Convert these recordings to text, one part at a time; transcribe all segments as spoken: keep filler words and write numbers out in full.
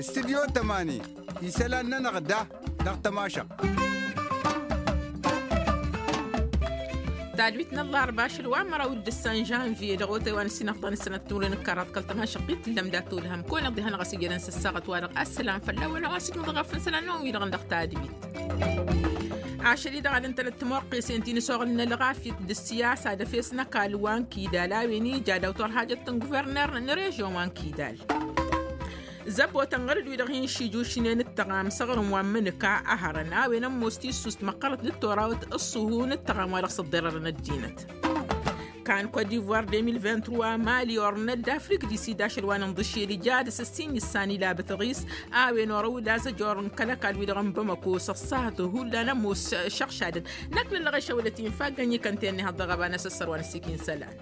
Studio tămani. Isălan-nănăɣ da dăɣ-tămašăɣt. Tadwit n-ăllarba ašăl wa măraw d-ǝssan žănvye dăɣ-otay wa n-ǝssin ăfḍan ǝssănăt timǝrwen ǝkkarat kăl-tămašăɣt-i tǝllăm dat-olhăm kăwăn-iḍḍi hanăɣ-ăsijădăn s-ăssaɣăt wa-dăɣ ăssălam fălla-wen a-wa s-ijmăḍ ɣef n-isălan-năwăn-wi-dăɣ dăɣ-tadwit. Ašăl-i-dăɣ ad-ǝntănăt timwăqqesen ti n-ăsoɣǝl n-ălɣafyăt d-ǝssiyasa d-efes n-ăkall wa n-kidal a-wen ija daw-turhajăt n-guvărner n-režion wa n-kidal. Zăbotăn ɣăr-dd-wi-dăɣ hin-šijušnen d-tăɣam s-aɣrǝm wa n-imǝnǝka ăhărăn a-wen ămoos tissust măqqărăt d-torawăt ǝṣṣuhu n-ǝttăɣam wa dăɣ-s ǝḍḍerărăn ăddinăt. Kan kot divoir deux mille vingt-trois mali ornăt d-afrik di sid ašăl wa n-inḍǝšel ija dăɣ-s ǝssin issan ila bătăɣis a-wen orăw d-azăjor n-kăl-ăkall wi-dăɣ n-bamăko s-ăṣṣahăt hullan ămoos šăɣšadăn. Năkk n-ăllăɣeš a wălăt infa gănyi kănten n-ihăḍ dăɣ-ăbanăs ăssăr wa n-ăssikin isălan.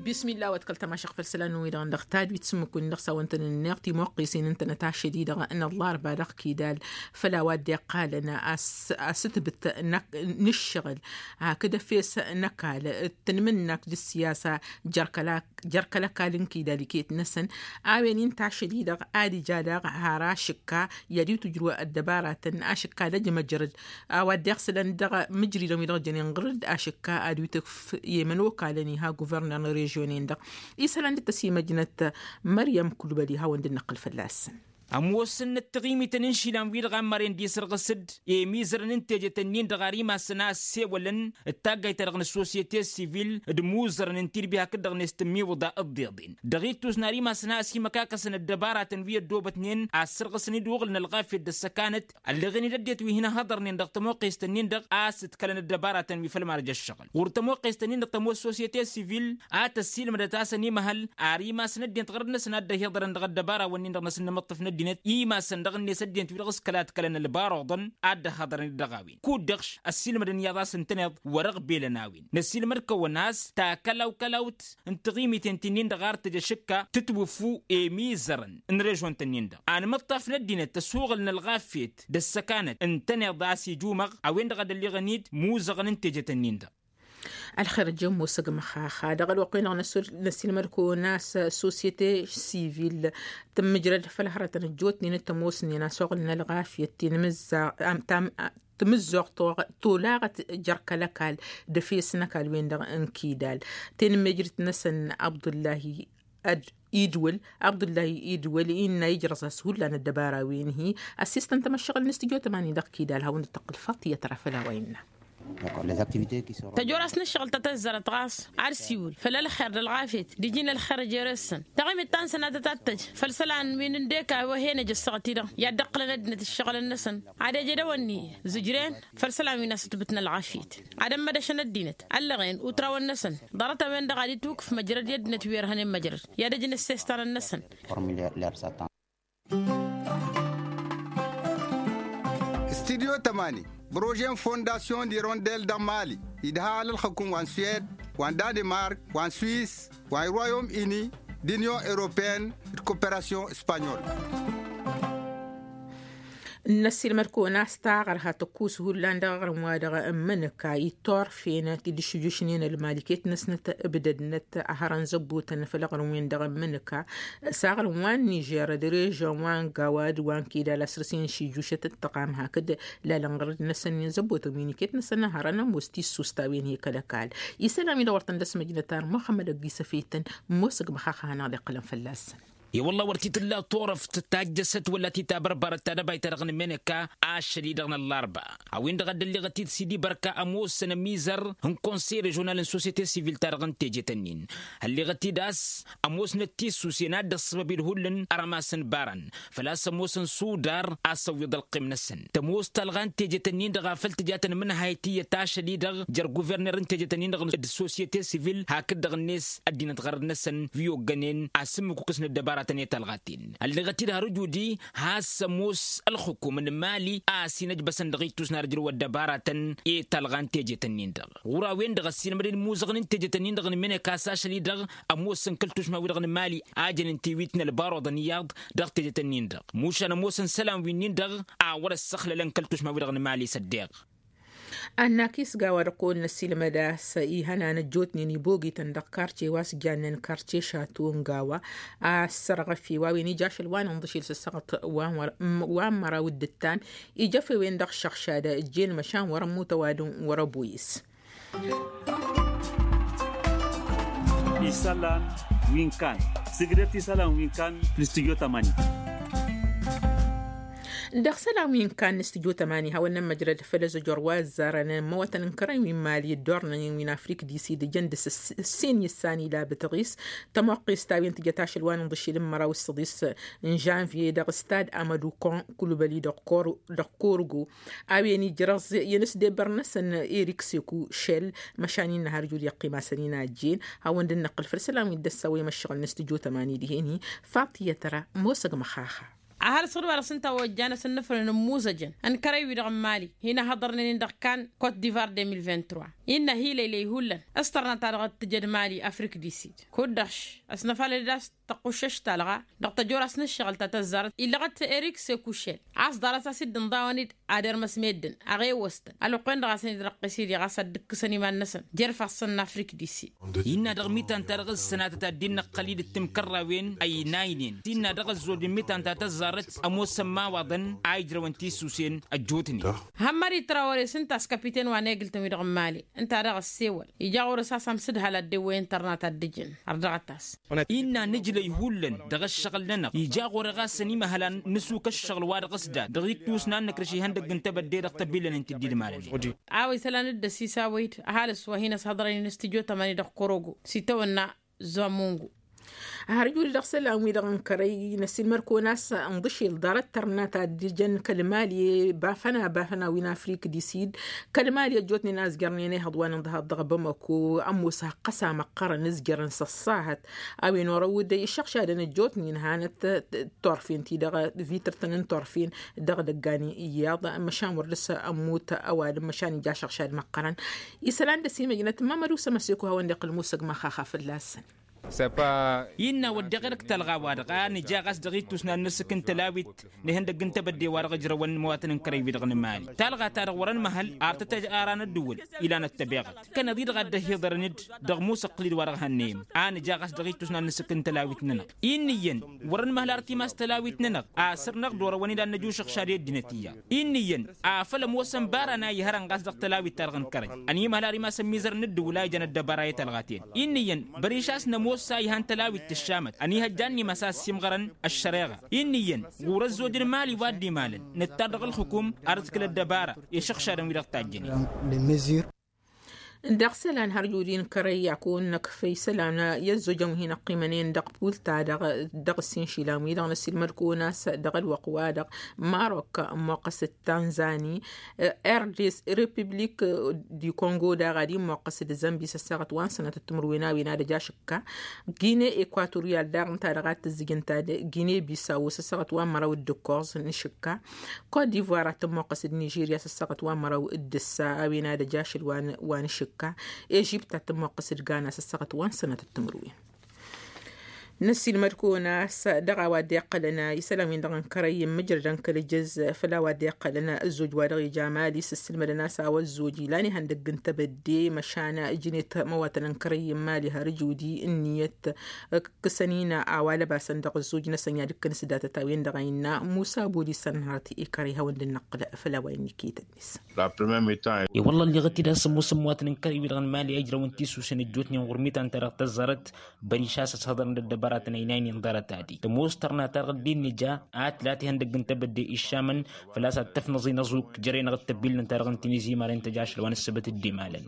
Bismillah wa t-kăl-tămašăɣ făll-isălan-năwăn-wi-dăɣ n-dăɣ tadwit s-ǝmmǝk-win-dăɣ s-a-wa ǝntănănneɣ timwăqqesen ǝntănăt ašăl-i-dăɣ n-ăllarba dăɣ-kidal. Făll-a-wa dd-iqqalăn a-s-ǝtbǝt n-ǝššăɣǝl hakd efes n-ăkall d-tanmǝnnakt d-ǝssiyasa jer-kăla jer-kăl-ăkall n-kidal iket-năsăn a-wen inta ašăl-i-dăɣ ad-ija daɣ har ašǝkka i-ad-iwt ǝjrǝw ăddăbaratăn ašǝkka d-ăjmăjrăd a-wa dd-iɣsǝlăn dăɣ-imǝjridăn wi dăɣ-jănen ɣǝr-dd ašǝkka ad-iwt ǝkf i-imănokalăn iha guvărner n-režion-en-dăɣ. Isălan dd-tăsimăjnăt măryăm kulbăli hawăn-dd-năqqǝl fălla-săn. Ămoosăn ăttiɣimităn n-išilan-wi-dăɣ a ămmăren d-isǝrɣǝs-dd i-imizărăn n-teje-tăn-in-dăɣ ar imasăn a ăssewălăn d-taggayt-ta-dăɣ n-ăssosiyete sivil d-imuzărăn n-tilbi hakd-dăɣ-net tǝmmiwǝḍa ǝḍḍeḍen dăɣ-ittus n-ar imasăn a ăsimăkakăsăn ăddăbaratăn wi ăddoobătnen a ăssărɣǝsăn-dd uɣǝl n-ălɣafyăt d-ăssăkanăt. Ălleɣen-dd ăddinăt wi hin-ăhhăḍărnen dăɣ-tămoqqest-ǝnnin-dăɣ a-s ǝdkălăn ăddăbaratăn wi făll-marăj ăššăɣǝl ɣur-tămoqqest-ǝnnin-dăɣ tămoos sosiyete sivil a tăssiilmădăt a-s ănimăhăl ar imasăn ăddinăt ɣărăt-năsăn a dd-ăhiḍărăn dăɣ-ăddăbarawăn-nin-dăɣ n-asǝnnămăṭṭăf n-ăddinăt imasăn dăɣ-net ăddinăt wi-dăɣ s-kăla ǝdkălăn ălbaruḍăn a dd-ăhhăḍărăn-dd dăɣ-a-wen kud-dăɣ š-ăssiilmădăn iyyăḍ a-s ǝntăneḍ wăr-ăɣbelăn a-wen năssiilmăd-kăwăn a-s takălaw-kălawt n-tiɣimiten ti-nin-dăɣ ar tǝj ašǝkka tǝtwǝffu i-imizărăn n-režon-tăn-in-dăɣ anmăṭṭaf n-ăddinăt ăsuɣǝl n-ălɣafyăt d-ăssăkanăt ǝntăneḍ a-s ijumăɣ a-wen-dăɣ a dd-ălliɣăn-dd muzăɣăn n-teje-tăn-in-dăɣ. Ălxer ăjjămmo s-ăgg măxaxa dăɣ-ălwăqq-wi-dăɣ n-ăssilmăd-kăwăn a-s sosiyete sivil tǝmmǝjrăd făll-hărătăn ăjjootnen d-tămoosnen a-s oɣǝlăn ălɣafyăt tinmǝzza tǝmǝzzoɣ tolaɣăt jer-kăl-ăkall d-efes n-ăkall-wen-dăɣ n-kidal. Tenǝmmejrǝt-năsăn abdullahi ad-idwǝl abdullahi idwǝl innă ijrăẓ-as hullan ăddăbara-wen-hi. Ăssistăn tamăššăɣǝl n-studyo tămani dăɣ-kidal hawăn-dd-tăqqǝl faṭiyăt ra făll-a-wa innă. Tăjorăs n-ǝššăɣǝl ta tăzzărăt ɣas ad-siwǝl făll-ălxer d-ălɣafyăt d-iji n-ălxer jere-săn taɣimit ta n-sănatăt ad-tăj făll-isălan wi n-ǝndek a-wa hen-ăj ăssaɣăt-i-dăɣ i-ad-dd-ǝqqǝlăn ăddinăt ǝššăɣǝlăn-năsăn ad-ej edăwănni zǝjren făll-isălan wi n-asǝtbǝt n-ălɣafyăt ad-ămmădăšăn ăddinăt ăllăɣen utrawăn-năsăn ḍarăt-a-wen-dăɣ ad-itwǝkǝf măjrăd i-ăddinăt wi ărhănen măjrăd i-ad-ăj n-ăssestan-năsăn. Studyo tămani prože n-fondasyon d-irondel dăɣ-mali idha alălxăkum wa n-swed wa n-danemark wa n-swis wa n-royom uni d-unyon europeen d-koperasyon spanyol. N-ăssiilmăd-kăwăn a-s taɣărha tăkkus hullan dăɣ-aɣrǝm-wa-dăɣ n-imǝnǝka itorfen ti dd-išǝjjušnen ălmaliket-năsnăt ǝbdădnăt ăhărăn zăbbutăn făll-aɣrǝm-wen-dăɣ n-imǝnǝka s-aɣrǝm wa n-nižer d-režon wa n-gawad wa n-kidal a săr-s inšǝjjušăt d-tăɣam hakd lalăn ɣărăd-năsăn i-zăbbutăn wi n-iket-năsăn ăhărăn ămoos tissust a-wen hi-kăl-ăkall. Isălan wi dăɣ-wăr tăn-dd-ăsmăjnăt ar muxămmăd ăgg-isăfeytăn ămoos ǝgg măxaxa hanăɣ-dd-iqqǝlăn fălla-săn. I-wălla wăr t-tǝlla turăft tajjăsăt wăla t-tabărbărăt tadăbayt-ta-dăɣ n-imǝnǝka ašăl-i-dăɣ n-ăllarba a-wen-dăɣ a dd-ălleɣăt-dd s-dd-ibărka ămoosăn ămizăr n-konsey režional n-sosyete sivil-ta-dăɣ n-teje-tăn-in. Ălleɣăt-dd a-s ămoosnăt tissusen a dd-ăṣṣăbăb-dd hullan ărămas n-ibarăn făl-a-s ămoosăn sudar a-s ăwwiḍ ălqim-năsăn tămoos talɣa n-teje-tăn-in-dăɣ a făl tǝja tănmǝnhayăt iyyăt ašăl-i-dăɣ jer-guverner n-teje-tăn-in-dăɣ d-sosyete sivil hakd-dăɣ-net ăddinăt ɣărăd-năsăn wi oggănen asǝmmǝkukǝs n-ăddăbaratăn i-talɣaten. Ălleɣăt-dd har ǝjudi has-ămoos ălxǝkum n-imali a-s inăjbăsăn dăɣ-ittus n-ad-ǝjrǝw ăddăbaratăn i-talɣa n-teje-tăn-in-dăɣ ɣur-a-wen-dăɣ ăssiilmădăn imuzăɣăn n-teje-tăn-in-dăɣ n-imǝneka s-ašăl-i-dăɣ ămoosăn kăl-tušma-wi-dăɣ n-imali a jănen tiwit n-ălbaruḍăn iyyăḍ dăɣ-teje-tăn-in-dăɣ mušan ămoosăn isălan wi-nin-dăɣ a wăr-ăssăxlălăn kăl-tušma-wi-dăɣ n-imali s-ăddeɣ. Annakis gawa dăɣ-kăwăn-năsilmăd a-s ihănan ăjjootnen ibogităn dăɣ-karce wa s-jannen karce šato n-gawa a-s sărɣăf i-wa wen ija ašăl wa n-inḍǝšil s-ăssăɣăt wa n-măraw d-ǝttan. Ija fewen dăɣ-šăɣšad ăjjeen măšan wăr-ămmut ăwadǝm wăr-ăboyǝs. Isălan wi n-kan sǝgdăt isălan wi n-kan. N-studyo tămani. Dăɣ-isălan wi n-kan n-studyo tămani hawăn-nămmăjrăd făll-ăzăjor wa ăzzarăn măwătăn n-kărăy wi n-mali dd-ornăn wi n-afrik disid jăn dăɣ-s ǝssin issan ila bǝtăɣis. Tămoqqist a-wen tǝjăt ašăl wa n-inḍǝšil n-măraw s-săḍis n-žănvye dăɣ-stad amădukon kulubăli dăɣ-korgo. A-wen ijrăẓ i-inǝsdebăr-năsăn erik seku šel. Măšan innă har jud iqqim-asăn inajjen hawăn-dd năqqǝl făll-isălan wi dd-ăssawăyăm ăššăɣǝl n-studyo tămani dihen-hi. Faṭiyăt ra mosăg măxaxa. Ăhalǝs ɣǝd-wa-dăɣ s-ǝnta a ojjanăsăn n-afrăn n-imuzăjăn n-kărăy-wi-dăɣ n-mali. Hin-ahăḍărnen-in dăɣ-kan kot divar deux mille vingt-trois innă hi-lăylăy hullan s-tărna ta dăɣ-tǝjăd mali afrik disid. Kud-dăɣ š-ăsnăfalăd-dd a-s tăqquššăš talɣa dăɣ-tăjoras n-ǝššăɣǝl ta tăzzarăt illăɣăt erik sekušel. A-s ḍarăt a-s dd-ǝnḍawăn-dd ad-irmăs meddǝn aɣewăstăn ălwăqq-wen-dăɣ a-s ănirăqqes-dd i-ɣas ad-dd-ǝkkǝsăn iman-năsăn jer-ifassăn n-afrik disid. Innă dăɣ-mitan-ta-dăɣ ǝssănatăt ad-dd-innăqqăl-dd ǝttǝm kărrawen ăynaynen s-innă dăɣ-ăzzoj n-mitan ta tăzzarăt ămoosăn imawaḍăn a ijrăwăn tisusen ăjjootnen. Hămmări trawăre s-ǝnta a-s kapiten wa n-egǝltăn-wi-dăɣ n-mali ǝnta a dăɣ-ăssewăl ija ɣur-s a-s amsǝdhal ad-dd-ewwăyăn tărna ta dd-ǝjǝn. Ărdăɣăt-as. Innă nǝjlăy hullan dăɣ-ăššăɣǝl-nănăɣ ija ɣur-e ɣas ănimăhăl ad-nǝsuk ăššăɣǝl wa dăɣ-s dan dăɣ-ittus n-ad-nǝkrǝš ihăndăgg n-tebădde dăɣ-tăbillăn n-tǝddidmalăn. A-wa isălan dd-ăsisawăy-dd ăhalǝs wa hin-ăshăḍrăynen studyo tămani dăɣ-korogo s-itawănna. Zomungu. Har jud dăɣ-isălan-wi-dăɣ n-kărăy năsilmăr-kăwăn a-s ǝnḍǝšel ḍarăt tărna ta dd-jăn kăl-mali bafăna bafăna wi n-afrik disid. Kăl-mali ăjjootnen a ǝzjărnen ehăḍ wa n-inḍăhăḍ dăɣ-bamako ămoos hăqqăs amăqqărăn ǝzjărăn s-ăṣṣahăt. A-wen orăw-dd iššăɣšadăn ăjjootnen hanăt turfen-ti-dăɣ vitrtăn n-turfen dăɣ-idăggan iyyăḍ. Măšan wăr dăr-s ămmut ăwadǝm măšan ija ašăɣšad măqqărăn. Isălan dăr-s imăjnăt mamădu s-ămăseko hawăn-dd-iqqǝl musăg măxaxa fălla-săn. Innă wădden ɣer-k talɣa-wa-dăɣ a nǝja ɣas dăɣ-ittus n-ad-nǝsǝk n-tălawit n-ihăndăgg n-tebădde wa dăɣ-ǝjrăwăn imawatăn n-kărăy-wi-dăɣ n-imali talɣa-ta-dăɣ wăr-ănmăhăl. Ar tăt-ara n-ăddǝwǝl ilan ăttăbeɣăt kănăḍ-i-dăɣ a dd-ăhiḍărăn-dd dăɣ-imusăqqǝl-dd wa dăɣ-hannăyăm a nǝja ɣas dăɣ-ittus n-ad-nǝsǝk n-tălawit-nănăɣ. Inn'-iyyăn wăr-ănmăhăl ar timas tălawit-nănăɣ a săr-năɣ d-orăwăn-dd ad-năj ušăɣšad i-ăddinăt iyyăḍ. Inn'-iyyăn afăl ămoosăn bara n-a ihărăn ɣas dăɣ-tălawit-ta-dăɣ n-kărăy ănimăhăl ar imas ămmizăr n-ǝddǝwǝl a ijăn ăddăbara i-talɣa-ten. Inn'-iyyăn băriš a-s nămoos a ihan tălawit tǝššamăt ănihăjja ad-nimăsa ăssiimɣărăn ăššăreɣa. Inn'-iyyăn ɣur-ăzzoj n-imali wa dd-imalăn nǝttar dăɣ-ǝlxǝkum ad-ǝtkǝl ăddăbara i-išăɣšadăn-wi-dăɣ tajjănen. Dăɣ-isălan har jud-in kărăy a kăwăn-năkf isălan i-ăzzojăn wi hin-ăqqimănen dăɣ-pulta dăɣ-ǝssin išilan-wi-dăɣ năsilmăd-kăwăn a-s dăɣ-ălwăqq-wa-dăɣ marok ămmoqqăs d-tanzani, rdc, republik di kongo daɣ ad-immoqqăs d-zămbi s-ăssaɣăt wa n-sănatăt timǝrwen a-wen ad-ăj ašǝkka. Gine ekwatoryal daɣ ǝnta-dăɣ ad-tǝzzǝj ǝnta d-gine bisawo s-ăssaɣăt wa n-măraw d-ǝkkoẓ n-ašǝkka. Kot divoir ad-tǝmmoqqăs d-nižirya s-ăssaɣăt wa n-măraw d-ǝssa a-wen ad-ăj ašăl wa n-ašǝkka. Ežipt ad-tǝmmoqqăs d-gana s-ăssaɣăt wa n-sănatăt timǝrwen. Năssiilmăd-kăwăn a-s dăɣ-a-wa dd-iqqălăn isălan-win-dăɣ n-kărăy n-mǝjrădăn kăl-ǝjǝz făll-a-wa dd-iqqălăn ǝzzoj wa dăɣ-ija mali s-ǝssǝlmădăn a-s a-wa ăzzoj ilan ihăndăgg n-tebădde măšan ǝjnet măwatăn n-kărăy n-mali har ǝjudi ǝnniyăt. Ǝkkǝsăn-in a-wa lăbasăn dăɣ-ǝzzoj-năsăn i-ad-ǝkkǝn s-datăt a-wen-dăɣ a innă musa boli s-ănhărăt i-kărăy hawăn-dd-năqqǝl făll-a-wa innă iket-net. I-wălla ălleɣăt-dd a-s ămoosăn măwatăn n-kărăy-wi-dăɣ n-mali a ijrăwăn tisusen ăjjootnen ɣur-mitan-ta-dăɣ tăzzarăt. Băriš a-s ăshăḍărăn d-ăddăbăratăn ăynaynen ḍarăt-adi tămoos tărna-ta-dăɣ dd-innǝja a tǝlat ihăndăgg n-tebădde iššamăn. Făl-a-s ad-tăfnăẓ inăẓuk jăre-năɣ d-tăbbillăn-ta-dăɣ n-tinizi imarăn tăj ašăl wa n-ăssăbăt dd-imalăn.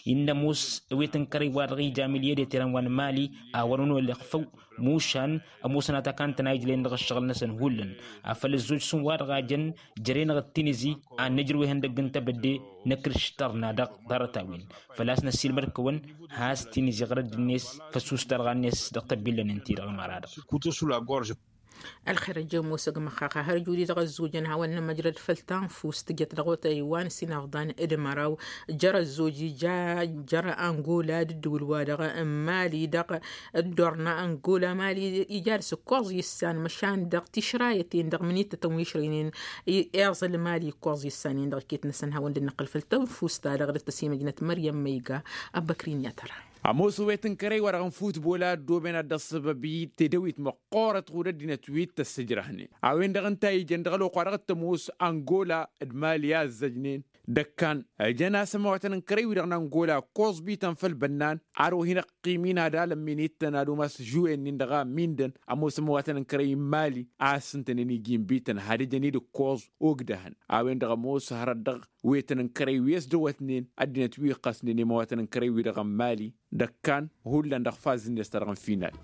Innă ămoos ăwet n-kărăy wa dăɣ-ija miliyăd i-tirăn wa n-mali a wăr-ănolăɣ făw. Mušan ămoosăn atakantăn a ijlăyăn dăɣ-ǝššăɣǝl-năsăn hullan afăl ăzzoj s-ǝnwa-dăɣ a jăn jăre-năɣ d-tinizi ad-nǝjrǝw ihăndăgg n-tebădde năkrǝš tărna dăɣ-ḍarăt-a-wen. Făl-a-s năssiilmăd-kăwăn has-tinizi ɣărădd-net făsus talɣa-net dăɣ-tăbbillăn ǝnta-i-dăɣ ămăra-dăɣ. Ălxer ăjjămosăg măxxaxa hărjudi dăɣ-ăzzojăn hawăn-nămăjrăd făll-tanfust tǝjăt dăɣ-otay wa n-sinăfḍan d-măraw. Jăr-ăzzoj ija jăr-angola d-ǝddǝwǝl-wa-dăɣ n-mali dăɣ-ăddorna angola mali ija dăɣ-s ǝkkoẓ issan măšan dăɣ-tišrayăten dăɣ-mǝnittătăn wi išrăynen. Iẓǝl mali ǝkkoẓ issanen dăɣ-iket-năsăn hawăn-dd-năqqǝl făll-tanfust-ta-dăɣ dd-tăsimăjnăt măryăm măyga. Ăbbăkrin i-ad-tăra. Ămoos ăwwet n-kărăy wa-dăɣ n-futbol a ăddooben ad-dd-ăṣṣăbăb i-tedăwit măqqoorăt ɣud-ăddinăt wi t-ăssǝjrăhnen a-wen-dăɣ ǝnta a ijăn dăɣ-ălwăqq wa dăɣ-t-ămoos angola d-mali a ǝzzăjnen. D-ăkkan ǝjăn-as ămăwatăn n-kărăy-wi-dăɣ n-angola ǝkkoẓ bităn făll-bănnan. Ar wa hin-ăqqim-in ad-alămmin ittăn ad-umas žuwe-nin dăɣ-a mindăn ămoos ămăwatăn n-kărăy n-mali a ǝssǝntănen iji n-bităn had-ǝjăn-dd ǝkkoẓ. Ogdăhăn a-wen-dăɣ ămoos hărăt dăɣ-wetăn n-kărăy wi ăsdăwătnen ăddinăt wi ǝqqăsnen i-măwatăn n-kărăy-wi-dăɣ n-mali. D-ăkkan hullan dăɣ-fazǝnnes-ta-dăɣ n-final.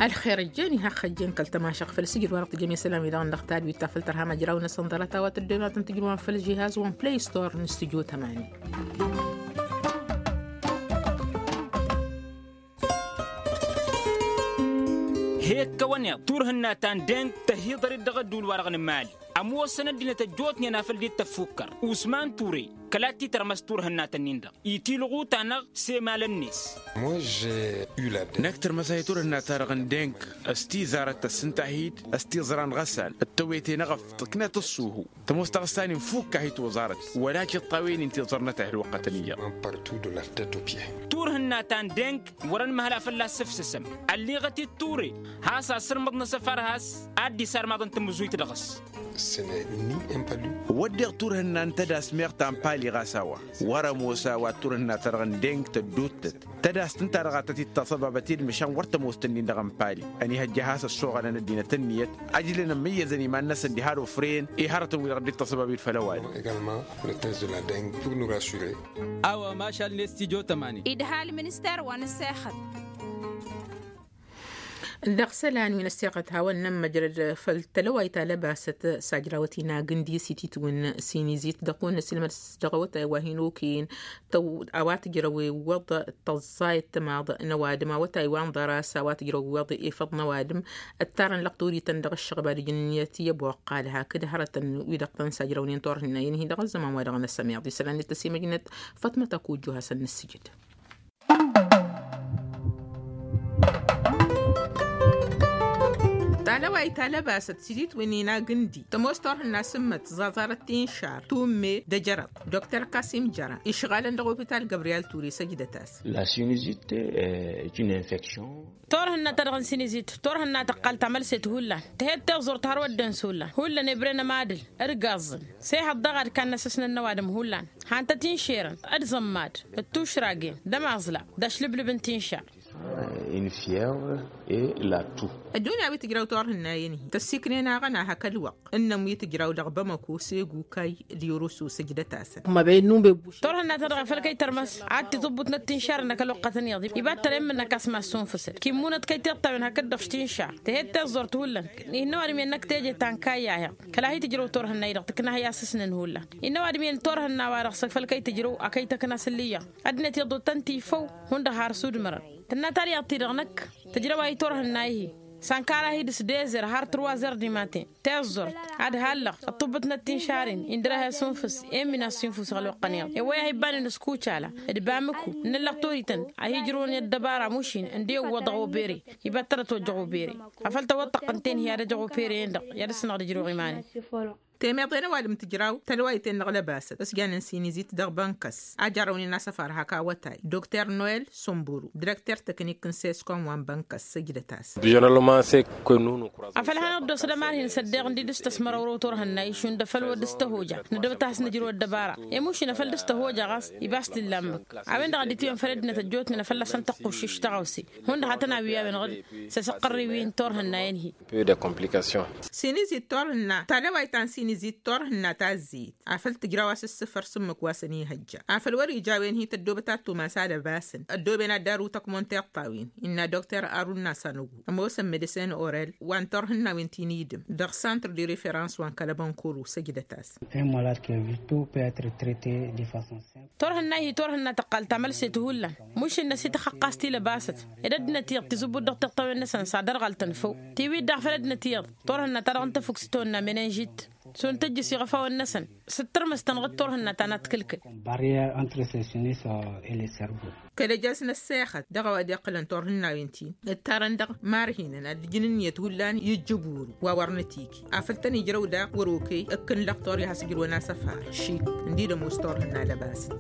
Ălxer ăjjeen iha ăxxăjjeen kăl-tămašăɣt făll-sǝjǝd wa dăɣ-tǝjjem i-isălan-wi-dăɣ n-dăɣ-tadwit ta făll-tărha măjraw-năsăn ḍarăt a-wa tăddoyăn wa tăn-tǝjrǝwăn făll-žihaz wa n-play store n-stujo tămani. He-ǝkkăwăn iḍ turhǝnna ta n-deng tăhiḍăr-dd dăɣ-ădduul-wa-dăɣ n-mali. Ămoosăn ăddinăt ăjjootnen afăl dd-tăffukkăr usman ture. Kăla t-itărmăs turhǝnna-tăn-in-dăɣ itilɣu-ta-năɣ s-emalăn-net. Năkk tărmăs a hi-turhǝnna-ta-dăɣ n-deng s-tizarăt tăssǝnta-hi-dd s-tiẓra n-ɣăsal d-tăwete n-eɣăf tǝknăt ǝṣṣuhu. Tămoos taɣǝsta-nin fukk a hi-toẓarăt wăla tiṭṭawen-in tiẓărnăt a hi-ălwăqqătăn iyyăḍ. Turhǝnna ta n-deng wăr-ănmăhăla fălla-s sǝfsǝsăm. Ălliɣăt-dd ture has-asǝrmăḍ n-asăfar has-ad-dd-isarmaḍ n-tamǝzuyt dăɣ-s. Wădden turhǝnna n-tădas meɣ ta n-pali ɣas a-wa wăr-ămoos a-wa turhǝnna-ta-dăɣ n-deng tădduuttăt. Tădas tǝnta-dăɣ a tăt-dd-taṣăbabăt i-dd măšan wăr tămoos-tăn-in-dăɣ n-pali. Ănihăjja has-ăssoɣălăn ăddinăt ǝnniyăt ăjlăn ămmǝyyăzăn iman-năsăn diha d-ofrăyăn i-hărătăn-wi-dăɣ dd-taṣăbab i-dd făll-ăwadǝm. A-wa mašal-net tijo tămani. Idhal minister wa n-ăssexăt. Dăɣ-isălan wi n-ăssexăt hawăn-nămmăjrăd făll-tălăwayt ta lăbasăt s-ajrawăt-in agǝndi s-ititwǝn sinizit dăɣ-kăwăn-năsilmăd s-dăɣ-awătay wa hin-okăyăn. A-wa tǝjrăw iwwăḍ tăẓẓayăt timaḍ n-ăwadǝm awătay wa n-ḍăras a-wa tǝjrăw iwwăḍ ifăḍ n-ăwadǝm. Ǝttarăn lăqtorităn dăɣ-ǝššăɣba d-ijǝnniyăt i-ăboqqal hakd hărătăn wi-dăɣ tăn-sajrăwnen turhǝnna i-inhi dăɣ-ăzzăman wa dăɣ-năsămeḍ isălan d-tăsimăjnăt. Fătmăt ăkujju hasăn-nǝssǝjǝd. Talăwayt ta lăbasăt sidit wi n-inag ǝndi tămoos turhǝnna s-ǝmmǝt ẓaẓarăt tinšar tumme d-ejărăḍ. Dokter kasim jăra išɣalăn dăɣ-opital gabriyal ture săjdăt-as. La sinizit. Turhǝnna ta dăɣ-n sinizit turhǝnna tăqqal tamălset hullan. Tǝhed tiẓẓurt har wădden s-hullan hullan ebren ămadǝl d-gaẓẓǝn. S-ehăḍ daɣ ad-kannăsăsnăn n-ăwadǝm hullan. Han-tăt-inšerăn d-iẓămmad d-tušragen d-ămaẓla d-ašlǝblǝb n-tinšar. Ǝddunǝya wi tǝjraw turhǝnna-en-hi tăssiknen aɣăna hak ălwăqq ǝnnăm wi tǝjraw dăɣ-bamăko s-egukay d-irusu sǝjdăt-asăn. Turhǝnna-ta-dăɣ afăl kăy-tărmăs ad-tiẓǝbbutnăt tinšar-năk ălwăqqătăn iyyăḍ iba d-tăremmǝn-năk a-s massǝnfǝsăd kimunăt kăy-tiṭṭawen hakd-dăɣ tinšar. Tǝhed tiẓẓurt hullan. Ihǝnna ăwadǝm-en-năk teje ta n-kayyaheɣ kăla hi-tǝjrăw turhǝnna-i-dăɣ tǝkna hi-asǝsnăn hullan. Innă ăwadǝm-en turhǝnna-wa-dăɣ s-făl kăy-tǝjrăw a kăy-tăkna s-ǝllǝyyăɣ. Ăddinăt iḍǝw tăn-tifăw hundăɣ har s-udmărăn. Tǝnna talyaḍt-i-dăɣ năkk tǝjrăw a hi-turhǝnna-i-hi s-ănkar-ahi d-s dezer har tărwazer dimaten. Tiẓẓurt ad-hallăɣ ăṭṭubbǝtnăt tinšar-in indăr-ahi asǝnfǝs. Emmin asǝnfǝs ălwăqqăn iyyăḍ ewăy-ahi ibanen s-kucala d-bamǝku n-ǝllăɣ torităn a hi-ǝjrǝwăn i-ăddăbara mušin ǝndewwăḍ dăɣ-obere. Iba t-tărăt ojăɣ obere afăl tawăḍ tăqqǝnten-hi ad-ăjăɣ opere-en-dăɣ i-ad-ǝssǝnăɣ d-ijrăw iman-in. Temeḍe n-ăwadǝm tǝjraw tălwayten dăɣ-lăbasăt s-janen sinizit dăɣ-bănkăs a jarrăwnen asăfar hak awătay dokter noel sumburu direkter teknik n-seskom wa n-bănkăs săjdăt-as. Afăl hanăɣ-dd-osăd ămarhin s-ăddeɣ ǝndi dăr-s tăsmărăwrăw turhǝnna išund afăl wăr dăr-s tăhoja nădăbăt a has-nǝjrǝw ăddăbara. Emušin afăl dăr-s tăhoja ɣas iba a-s t-illa ǝmmǝk. A-wen-dăɣ a dd-itwǝyăn făll-ăddinăt ăjjootnen afăl lasăn tăqquššǝš tăɣawse hundăɣ a tăn-awǝy a-wen-dăɣ. S-asăqqărriw-in turhǝnna-en-hi. Sinizit turhǝnna talăwayt ta n-sinizit. Izit turhǝnna ta ăzzeyăt afăl tǝjraw a-s ǝssǝfăr s-ǝmmǝk wa s-ănihăjja afăl wăr-ija a-wen hi-tăddobăt ad-tumas alăbasăn ăddooben ad-darǝw tăkmon tiṭṭawen. Innă dokter arunna s-anăgu ămoosăn medecin orel wa n-turhǝnnawen ti n-idǝm dăɣ-santr de referans wa n-kălăbănkuru săjdăt-as. Turhǝnna hi-turhǝnna tăqqal tamălset hullan mušǝnnăs i-tăxăqqas ti lăbasăt ed ăddinăt iyyăḍ tizǝbbut dăɣ-tiṭṭawen-năsăn s-ad-ărɣăl tănfăw tiwit daɣ făl ăddinăt iyyăḍ turhǝnna ta dăɣ-n tăfukt s-tawănna menănžit. Šund tăjjǝs iɣăfawăn-năsăn s-dd-tărmǝs tănɣǝd turhǝnna ta n-ad-t-kǝlkǝl. Barrier entre săsǝnis. Kăl-ăjăs n-ăssexăt dăɣ-a-wa dd-iqqǝlăn turhǝnnawen-tin ǝttarăn dăɣ-marhinăn ad-ǝjǝn ǝnniyăt hullan i-ǝjjǝburu wa wăr nătiki afăl tăn-ijrăw daɣ wăr-okăy ǝkkǝn lăqtor i-has-ǝjrǝwăn asăfar šik ǝndi d-ămoos turhǝnna lăbasăt.